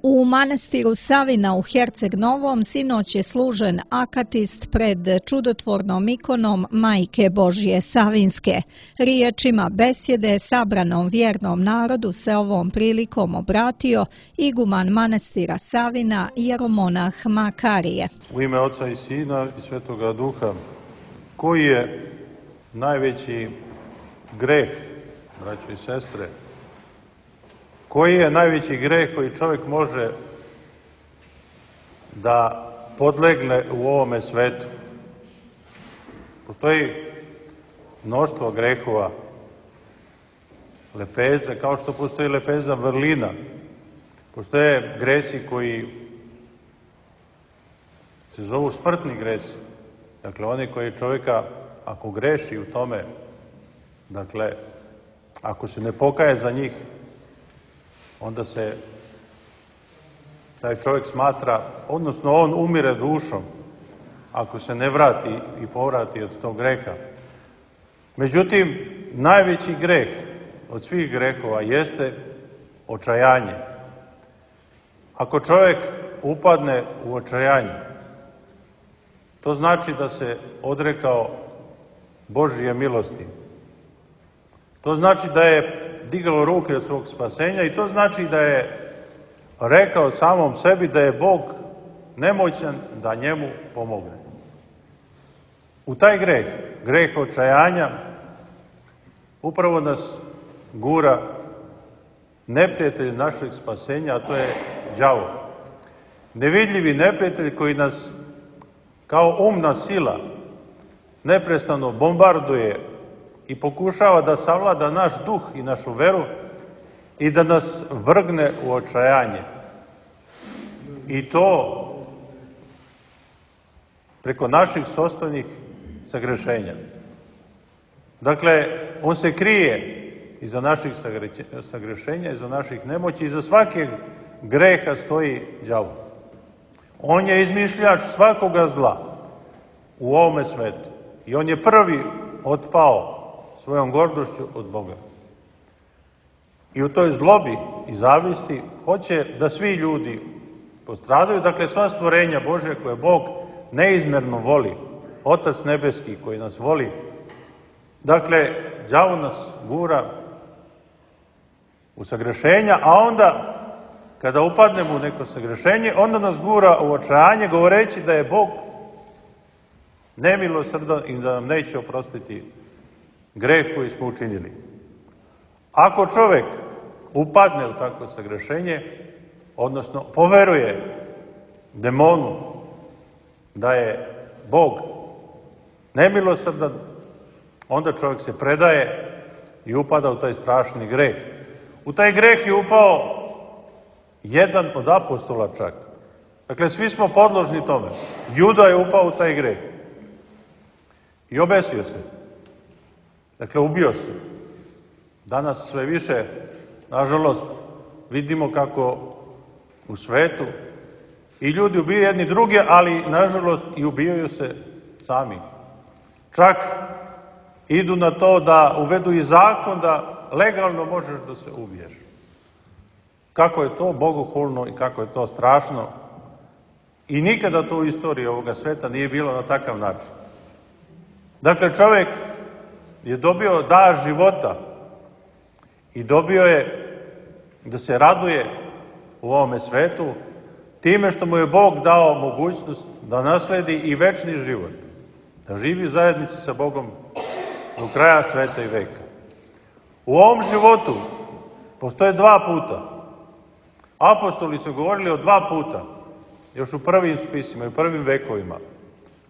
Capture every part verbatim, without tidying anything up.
U manastiru Savina u Herceg Novom sinoć je služen akatist pred čudotvornom ikonom Majke Božje Savinske. Riječima besjede sabranom vjernom narodu se ovom prilikom obratio iguman manastira Savina jeromonah Makarije. U ime Oca i Sina i Svetoga Duha, koji je najveći greh, braćo i sestre, koji je najveći greh koji čovjek može da podlegne u ovome svetu? Postoji mnoštvo grehova, lepeza, kao što postoji lepeza vrlina. Postoje gresi koji se zovu smrtni gresi. Dakle, oni koji čovjeka, ako greši u tome, dakle, ako se ne pokaje za njih, onda se taj čovjek smatra, odnosno on umire dušom, ako se ne vrati i povrati od tog greha. Međutim, najveći greh od svih grehova jeste očajanje. Ako čovjek upadne u očajanje, to znači da se odrekao Božje milosti. To znači da je digao ruke od svog spasenja i to znači da je rekao samom sebi da je Bog nemoćan da njemu pomogne. U taj greh, greh očajanja, upravo nas gura neprijatelj našeg spasenja, a to je đavo. Nevidljivi neprijatelj koji nas kao umna sila neprestano bombarduje i pokušava da savlada naš duh i našu veru i da nas vrgne u očajanje. I to preko naših sopstvenih sagrešenja. Dakle, on se krije iza naših sagrešenja, iza naših nemoći, iza svakog greha stoji đavo. On je izmišljač svakoga zla u ovome svetu i on je prvi otpao svojom gordošću od Boga. I u toj zlobi i zavisti hoće da svi ljudi postradaju, dakle sva stvorenja Božja koje Bog neizmerno voli, Otac nebeski koji nas voli, dakle, đavo nas gura u sagrešenja, a onda, kada upadnemo u neko sagrešenje, onda nas gura u očajanje, govoreći da je Bog nemilosrdan i da nam neće oprostiti greh koji smo učinili. Ako čovjek upadne u takvo sagrešenje, odnosno poveruje demonu da je Bog nemilosrdan, onda čovjek se predaje i upada u taj strašni greh. U taj greh je upao jedan od apostola čak. Dakle, svi smo podložni tome. Juda je upao u taj greh i obesio se. Dakle, ubio se. Danas sve više, nažalost, vidimo kako u svetu i ljudi ubijaju jedni druge, ali, nažalost, i ubijaju se sami. Čak idu na to da uvedu i zakon da legalno možeš da se ubiješ. Kako je to bogohulno i kako je to strašno. I nikada to u istoriji ovoga sveta nije bilo na takav način. Dakle, čovjek je dobio dar života i dobio je da se raduje u ovome svetu time što mu je Bog dao mogućnost da nasledi i večni život, da živi u zajednici sa Bogom do kraja sveta i veka. U ovom životu postoje dva puta. Apostoli su govorili o dva puta, još u prvim spisima i u prvim vekovima.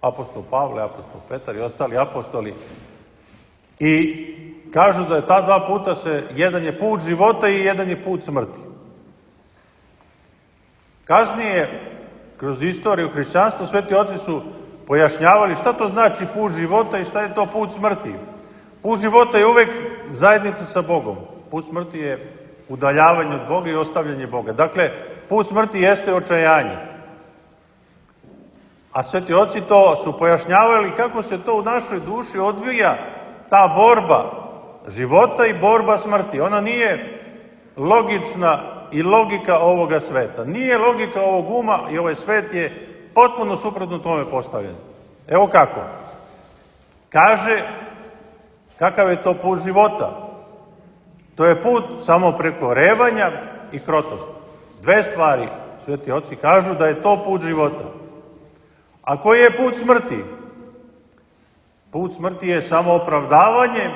Apostol Pavle, apostol Petar i ostali apostoli. I kažu da je ta dva puta se, jedan je put života i jedan je put smrti. Kasnije, kroz istoriju hrišćanstva, sveti oci su pojašnjavali šta to znači put života i šta je to put smrti. Put života je uvek zajednica sa Bogom. Put smrti je udaljavanje od Boga i ostavljanje Boga. Dakle, put smrti jeste očajanje. A sveti oci to su pojašnjavali kako se to u našoj duši odvija ta borba života i borba smrti. Ona nije logična i logika ovoga sveta. Nije logika ovog uma i ovaj svet je potpuno suprotno tome postavljen. Evo kako. Kaže, kakav je to put života? To je put samoprekorevanja i krotosti. Dve stvari, sveti oci kažu da je to put života. A koji je put smrti? Put smrti je samoopravdavanje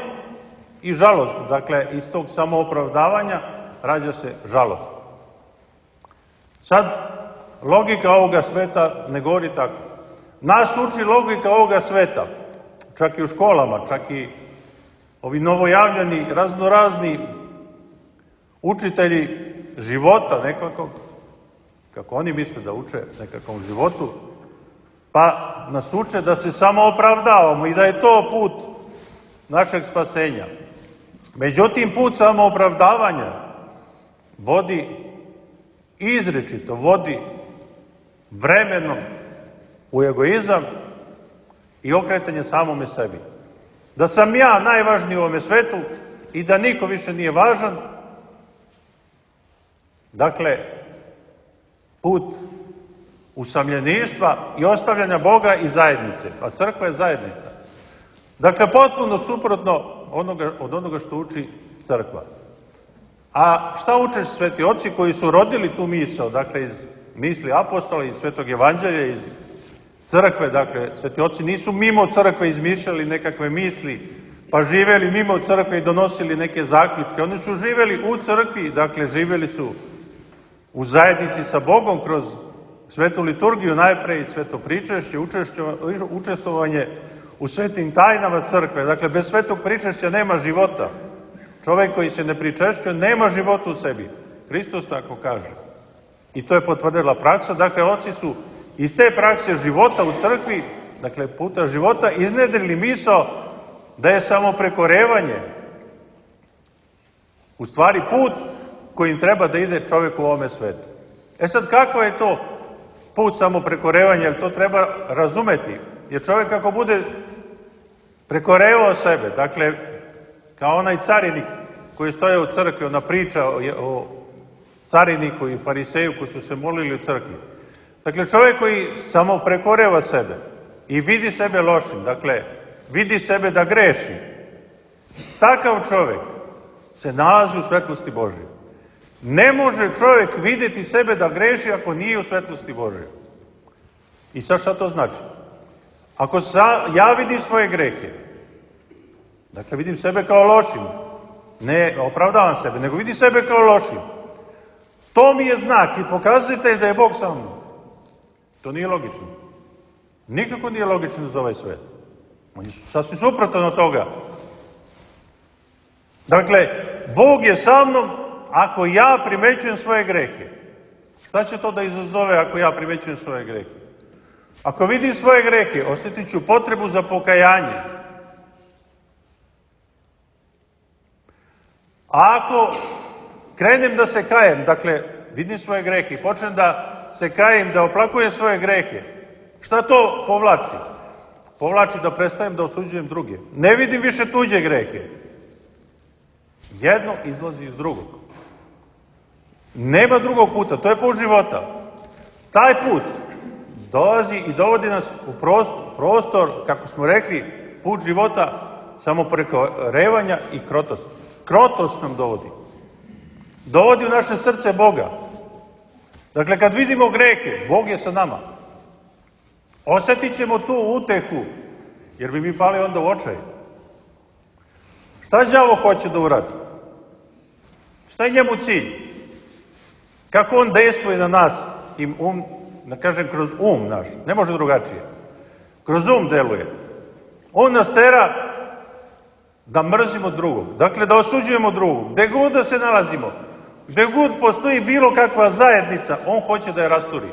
i žalost. Dakle, iz tog samoopravdavanja rađa se žalost. Sad, logika ovoga sveta ne govori tako. Nas uči logika ovoga sveta, čak i u školama, čak i ovi novojavljani, raznorazni učitelji života nekako, kako oni misle da uče nekakvom životu, pa nas uče da se samo opravdavamo i da je to put našeg spasenja. Međutim, put samoopravdavanja vodi izričito, vodi vremenom u egoizam i okretanje samome sebi. Da sam ja najvažniji u ovome svetu i da niko više nije važan. Dakle, put usamljeništva i ostavljanja Boga i zajednice. A crkva je zajednica. Dakle, potpuno suprotno onoga, od onoga što uči crkva. A šta uče sveti oci koji su rodili tu misao, dakle iz misli apostola, iz svetog evanđelja, iz crkve, dakle sveti oci nisu mimo crkve izmišljali nekakve misli, pa živeli mimo crkve i donosili neke zaključke. Oni su živeli u crkvi, dakle živeli su u zajednici sa Bogom kroz svetu liturgiju najpre i sveto pričešće, učestvovanje u svetim tajnama crkve. Dakle, bez svetog pričešća nema života. Čovjek koji se ne pričešćuje nema života u sebi. Hristos tako kaže. I to je potvrdila praksa. Dakle, oci su iz te prakse života u crkvi, dakle puta života, iznedrili misao da je samo prekorevanje u stvari put kojim treba da ide čovjek u ovome svetu. E sad, kako je to put samoprekorevanja? Jer to treba razumeti. Jer čovjek ako bude prekorevao sebe, dakle, kao onaj carinik koji stoje u crkvi, ona priča o, o cariniku i fariseju koji su se molili u crkvi. Dakle, čovjek koji samo prekoreva sebe i vidi sebe lošim, dakle, vidi sebe da greši, takav čovjek se nalazi u svetlosti Božje. Ne može čovjek vidjeti sebe da greši ako nije u svetlosti Božje. I sad šta to znači? Ako sa, ja vidim svoje grehe, dakle vidim sebe kao lošim, ne opravdavam sebe, nego vidim sebe kao lošim, to mi je znak i pokazatelj da je Bog sa mnom. To nije logično. Nikako nije logično za ovaj svet. On je sasvim suprotno od toga. Dakle, Bog je sa mnom ako ja primećujem svoje grehe. Šta će to da izazove ako ja primećujem svoje grehe? Ako vidim svoje grehe, osjetit ću potrebu za pokajanje. A ako krenem da se kajem, dakle, vidim svoje grehe i počnem da se kajem, da oplakujem svoje grehe, šta to povlači? Povlači da prestajem da osuđujem druge. Ne vidim više tuđe grehe. Jedno izlazi iz drugog. Nema drugog puta, to je put života. Taj put dolazi i dovodi nas u prostor, prostor kako smo rekli, put života samoprekorevanja i krotosti. Krotost nam dovodi. Dovodi u naše srce Boga. Dakle, kad vidimo grehe, Bog je sa nama. Osjetit ćemo tu utehu, jer bi mi pali onda u očaj. Šta đavo hoće da uradi? Šta je njemu cilj? Kako on dejstvuje na nas, i um, da kažem, kroz um naš, ne može drugačije. Kroz um deluje. On nas tera da mrzimo drugog, dakle da osuđujemo drugog, gde god da se nalazimo, gde god postoji bilo kakva zajednica, on hoće da je rasturi.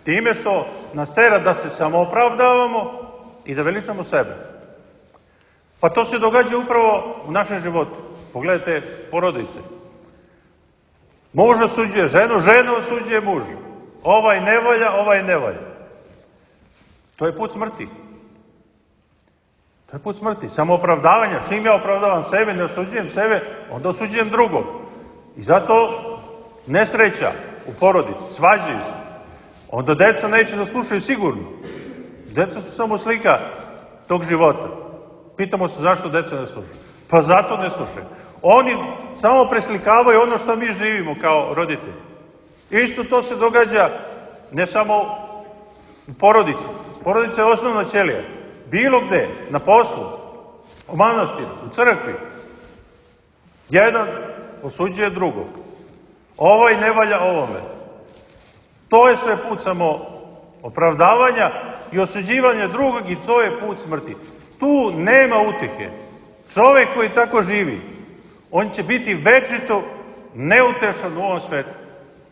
Time što nas tera da se samoopravdavamo i da veličamo sebe. Pa to se događa upravo u našem životu. Pogledajte porodice. Muž osuđuje ženu, žena osuđuje muža. Ovaj ne valja, ovaj ne valja. To je put smrti. To je put smrti, samoopravdavanja. Čim ja opravdavam sebe, ne osuđujem sebe, onda osuđujem drugog. I zato nesreća u porodici, svađaju se. Onda deca neće da slušaju sigurno. Deca su samo slika tog života. Pitamo se zašto deca ne slušaju. Pa zato ne slušaju. Oni samo preslikavaju ono što mi živimo kao roditelji. Isto to se događa ne samo u porodici. Porodica je osnovna ćelija. Bilo gde, na poslu, u manastiru, u crkvi. Jedan osuđuje drugog. Ovaj ne valja ovome. To je sve put samo opravdavanja i osuđivanja drugog i to je put smrti. Tu nema utehe. Čovjek koji tako živi, on će biti večito neutešan u ovom svetu.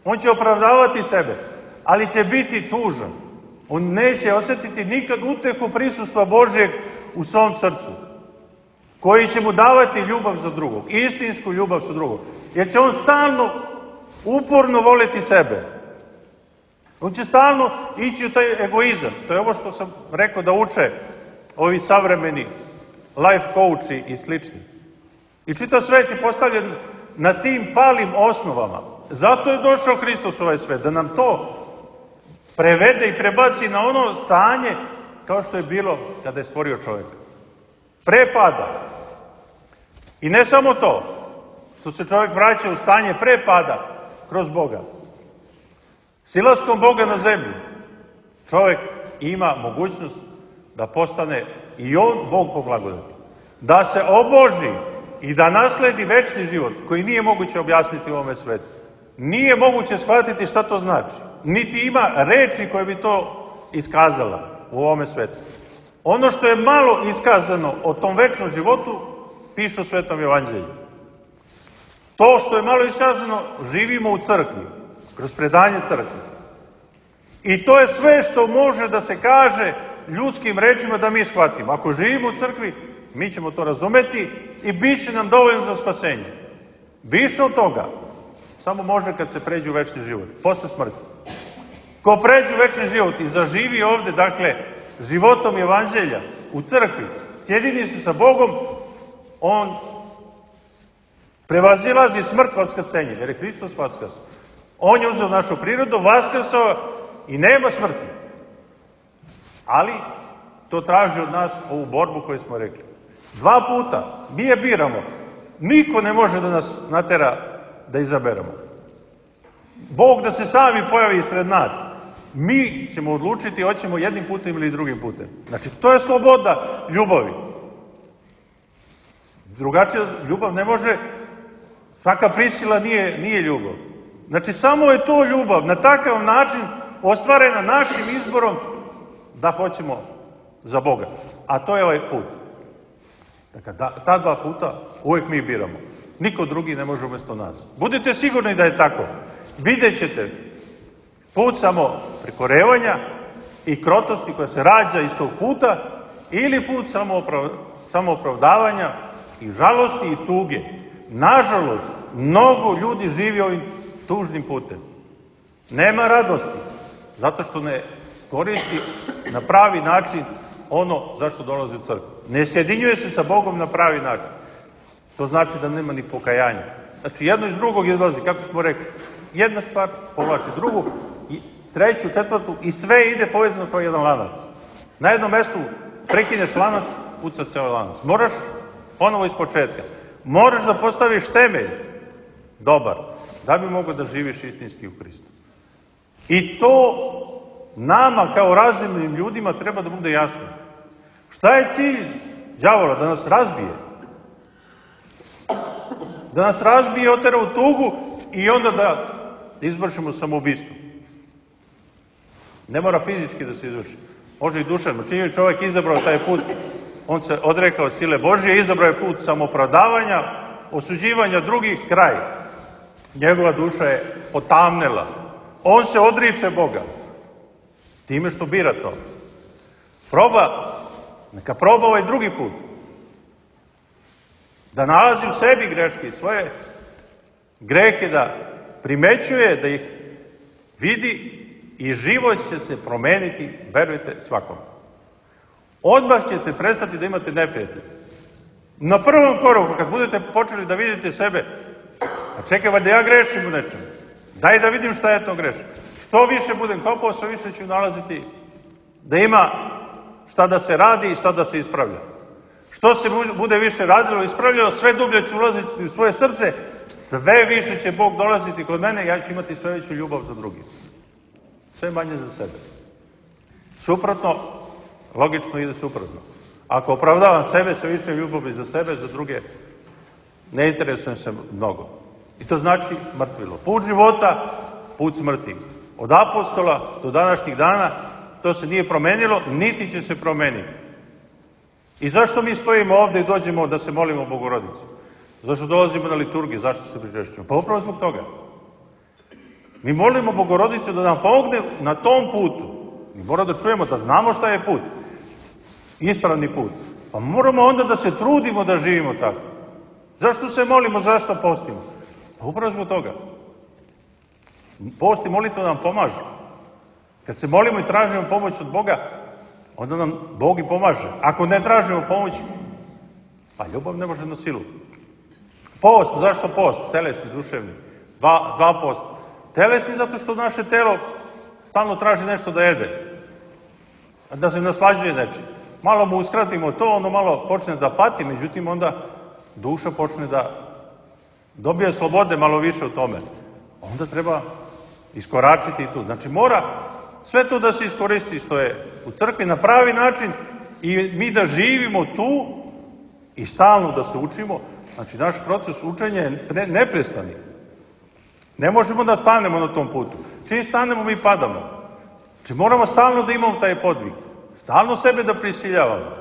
On će opravdavati sebe, ali će biti tužan. On neće osjetiti nikad utehu prisustva Božjeg u svom srcu, koji će mu davati ljubav za drugog, istinsku ljubav za drugog. Jer će on stalno, uporno voliti sebe. On će stalno ići u taj egoizam. To je ovo što sam rekao da uče ovi savremeni life coachi i slični. I čitav svet je postavljen na tim palim osnovama. Zato je došao Hristos u ovaj svet, da nam to prevede i prebaci na ono stanje kao što je bilo kada je stvorio čovjeka. Pre pada. I ne samo to, što se čovjek vraća u stanje pre pada kroz Boga. Silaskom Boga na zemlju čovjek ima mogućnost da postane i on Bog po blagodati. Da se oboži i da nasledi večni život koji nije moguće objasniti u ovome svetu. Nije moguće shvatiti šta to znači. Niti ima reči koje bi to iskazala u ovome svetu. Ono što je malo iskazano o tom večnom životu piše u Svetom Evanđelju. To što je malo iskazano živimo u crkvi, kroz predanje crkve. I to je sve što može da se kaže ljudskim rečima da mi shvatimo. Ako živimo u crkvi, mi ćemo to razumeti i bit će nam dovoljno za spasenje. Više od toga samo može kad se pređe u večni život, posle smrti. Ko pređe u večni život i zaživi ovde, dakle, životom Evanđelja u crkvi, sjedini se sa Bogom, on prevazilazi smrt vaskrsenje, jer je Hristos vaskrsao. On je uzeo našu prirodu, vaskrsao i nema smrti. Ali to traži od nas ovu borbu koju smo rekli. Dva puta mi je biramo. Niko ne može da nas natera da izaberemo. Bog da se sami pojavi ispred nas. Mi ćemo odlučiti hoćemo jednim putem ili drugim putem. Znači, to je sloboda ljubavi. Drugačija ljubav ne može, svaka prisila nije, nije ljubav. Znači, samo je to ljubav, na takav način ostvarena našim izborom da hoćemo za Boga. A to je ovaj put. Dakle, da, ta dva puta uvijek mi biramo. Niko drugi ne može umjesto nas. Budite sigurni da je tako. Vidjet ćete put samo prekorevanja i krotosti koja se rađa iz tog puta ili put samoopravdavanja i žalosti i tuge. Nažalost, mnogo ljudi živi ovim tužnim putem. Nema radosti, zato što ne koristi na pravi način ono zašto dolazi u crkvu. Ne sjedinjuje se sa Bogom na pravi način. To znači da nema ni pokajanja. Znači, jedno iz drugog izlazi, kako smo rekli. Jedna stvar povlači drugu, i treću, četvrtu, i sve ide povezano kao jedan lanac. Na jednom mestu prekineš lanac, puca ceo lanac. Moraš ponovo iz početka. Moraš da postaviš temelj dobar, da bi mogao da živiš istinski u Hristu. I to nama kao razumnim ljudima treba da bude jasno. Šta je cilj đavola? Da nas razbije. Da nas razbije i otera u tugu i onda da izvršimo samoubistvo. Ne mora fizički da se izvrši. Može i duševno. Čim je čovjek izabrao taj put, on se odrekao sile Božje, izabrao je put samoopravdavanja, osuđivanja drugih, kraj. Njegova duša je potamnela. On se odriče Boga. Time što bira to. Proba, neka proba ovaj drugi put. Da nalazi u sebi greške, svoje grehe da primećuje, da ih vidi i život će se promeniti, verujte, svakom. odmah ćete prestati da imate neprijatelje. Na prvom koraku, kad budete počeli da vidite sebe, a čekaj, da ja grešim u nečemu, daj da vidim šta je to grešim. Što više budem kopao, sve više ću nalaziti da ima šta da se radi i šta da se ispravlja. Što se bude više radilo i ispravljalo, sve dublje ću ulaziti u svoje srce, sve više će Bog dolaziti kod mene, ja ću imati sve veću ljubav za drugi. Sve manje za sebe. Suprotno, logično ide suprotno. Ako opravdavam sebe, sve više ljubavi za sebe, za druge, ne interesujem se mnogo. I to znači mrtvilo. Put života, put smrti. Od apostola do današnjih dana to se nije promenilo, niti će se promeniti. I zašto mi stojimo ovde i dođemo da se molimo Bogorodici? Zašto dolazimo na liturgiju? Zašto se pričešćujemo? Pa upravo zbog toga. Mi molimo Bogorodicu da nam pomogne na tom putu. Mi moramo da čujemo, da znamo šta je put. Ispravni put. Pa moramo onda da se trudimo da živimo tako. Zašto se molimo? Zašto postimo? Pa upravo zbog toga. Post i molitva nam pomaže. Kad se molimo i tražimo pomoć od Boga, onda nam Bog i pomaže. Ako ne tražimo pomoć, pa ljubav ne može na silu. Post, zašto post? Telesni, duševni. Dva, dva post. Telesni zato što naše telo stalno traži nešto da jede. Da se naslađuje nečim. Malo mu uskratimo to, ono malo počne da pati, međutim onda duša počne da dobije slobode malo više u tome. Onda treba iskoračiti i tu. Znači mora sve to da se iskoristi što je u crkvi na pravi način i mi da živimo tu i stalno da se učimo. Znači naš proces učenja je ne, neprestani. Ne možemo da stanemo na tom putu. Čim stanemo mi padamo. Znači moramo stalno da imamo taj podvig. Stalno sebe da prisiljavamo.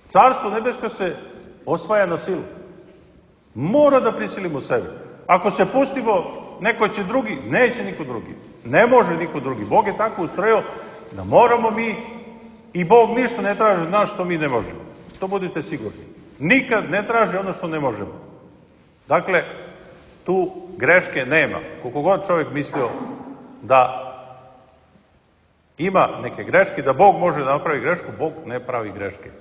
Carstvo nebesko se osvaja na silu. Mora da prisilimo sebe. Ako se pustimo, neko će drugi, neće niko drugi. Ne može niko drugi. Bog je tako ustrojio da moramo mi i Bog ništa ne traži od nas što mi ne možemo. To budite sigurni. Nikad ne traži ono što ne možemo. Dakle, tu greške nema. Koliko god čovjek mislio da ima neke greške, da Bog može da napravi grešku, Bog ne pravi greške.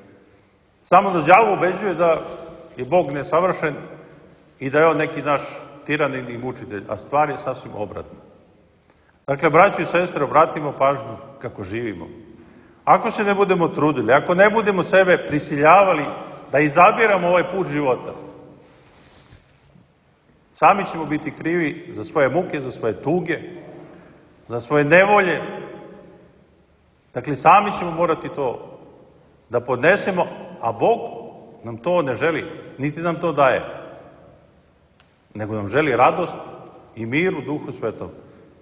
Samo da đavo ubeđuje da je Bog nesavršen i da je on neki naš tiranin i mučitelj, a stvar je sasvim obratno. Dakle, braći i sestre, obratimo pažnju kako živimo. Ako se ne budemo trudili, ako ne budemo sebe prisiljavali da izabiramo ovaj put života, sami ćemo biti krivi za svoje muke, za svoje tuge, za svoje nevolje. Dakle, sami ćemo morati to da podnesemo, a Bog nam to ne želi, niti nam to daje, nego nam želi radost i mir u Duhu Svetom.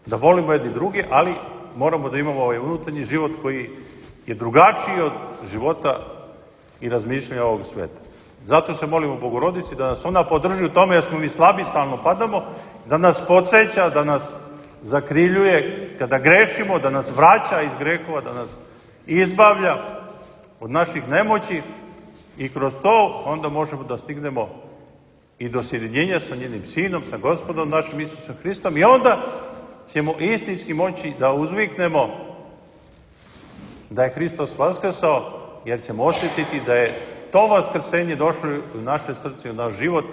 Da volimo jedni druge, ali moramo da imamo ovaj unutarnji život koji je drugačiji od života i razmišljanja ovog sveta. Zato se molimo Bogorodici da nas ona podrži u tome, jer smo mi slabi, stalno padamo, da nas podsjeća, da nas zakriljuje kada grešimo, da nas vraća iz grehova, da nas izbavlja od naših nemoći i kroz to onda možemo da stignemo i do sjedinjenja sa njenim Sinom, sa Gospodom našim Isusom Hristom i onda ćemo istinski moći da uzviknemo da je Hristos vaskrsao, jer ćemo osjetiti da je to vaskrsenje došlo u naše srce, u naš život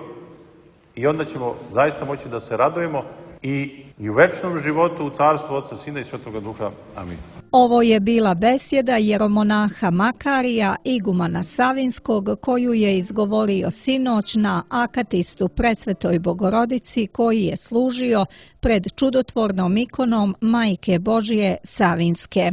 i onda ćemo zaista moći da se radujemo i, i u večnom životu u carstvu Otca, Sina i Svetoga Duha. Amin. Ovo je bila besjeda jeromonaha Makarija, igumana Savinskog, koju je izgovorio sinoć na akatistu Presvetoj Bogorodici, koji je služio pred čudotvornom ikonom Majke Božje Savinske.